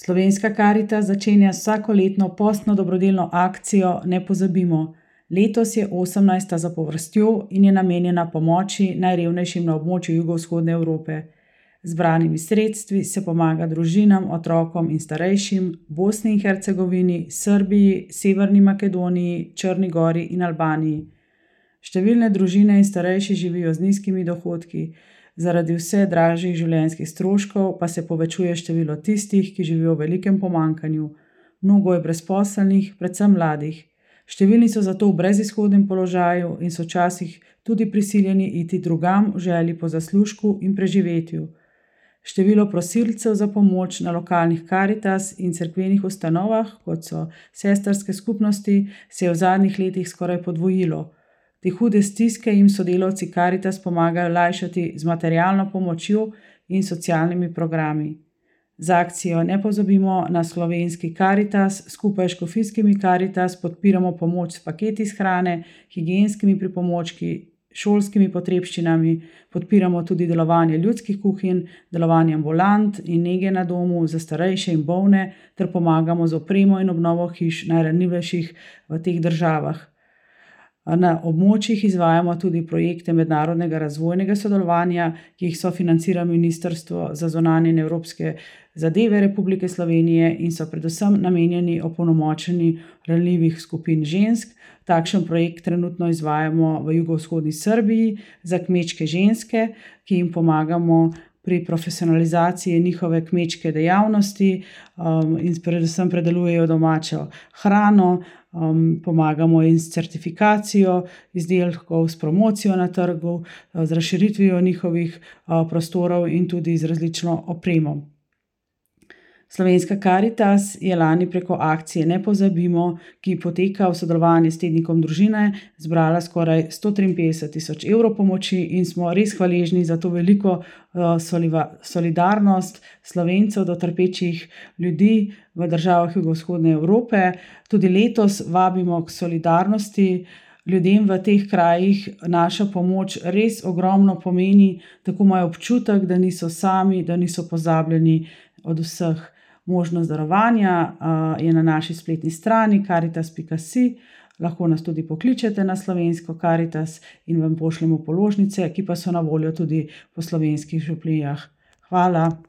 Slovenska Karitas začenja s vsakoletno postno dobrodelno akcijo Ne pozabimo. Letos je 18. zapovrstjo in je namenjena pomoči najrevnejšim na območju jugovzhodne Evrope. Z zbranimi sredstvi se pomaga družinam, otrokom in starejšim v Bosni in Hercegovini, Srbiji, Severni Makedoniji, Črni gori in Albaniji. Številne družine in starejši živijo z nizkimi dohodki, zaradi vse dražjih življenjskih stroškov pa se povečuje število tistih, ki živijo v velikem pomanjkanju. Mnogo je brezposelnih, predvsem mladih. Številni so zato v brezizhodnem položaju in so včasih tudi prisiljeni iti drugam v želji po zaslužku in preživetju. Število prosilcev za pomoč na lokalnih Karitas in cerkvenih ustanovah, kot so sestrske skupnosti, se je v zadnjih letih skoraj podvojilo. Te hude stiske jim sodelavci Karitas pomagajo lajšati z materialno pomočjo in socialnimi programi. Z akcijo Ne pozabimo na slovenski Karitas skupaj s škofijskimi Karitas podpiramo pomoč s paketi iz hrane, higienskimi pripomočki, šolskimi potrebščinami, podpiramo tudi delovanje ljudskih kuhinj, delovanje ambulant in nege na domu za starejše in bolne ter pomagamo z opremo in obnovo hiš najranljivejših v teh državah. Na območjih izvajamo tudi projekte mednarodnega razvojnega sodelovanja, ki jih sofinancira Ministrstvo za zunanje in evropske zadeve Republike Slovenije in so predvsem namenjeni opolnomočenju ranljivih skupin žensk. Takšen projekt trenutno izvajamo v jugovzhodni Srbiji za kmečke ženske, ki jim pomagamo pri profesionalizaciji njihove kmečke dejavnosti in predvsem predelujejo domačo hrano. Pomagamo jim s certifikacijo izdelkov, s promocijo na trgu, z razširitvijo njihovih prostorov in tudi z različno opremo. Slovenska Karitas je lani preko akcije Ne pozabimo, ki poteka v sodelovanju s tednikom Družine, zbrala skoraj 153.000 evrov pomoči in smo res hvaležni za to veliko solidarnost Slovencev do trpečih ljudi v državah jugovzhodne Evrope. Tudi letos vabimo k solidarnosti. Ljudem v teh krajih naša pomoč res ogromno pomeni, tako imajo občutek, da niso sami, da niso pozabljeni od vseh. Možnost darovanja je na naši spletni strani karitas.si, lahko nas tudi pokličete na slovensko Karitas in vam pošljemo položnice, ki pa so na voljo tudi po slovenskih župnijah. Hvala.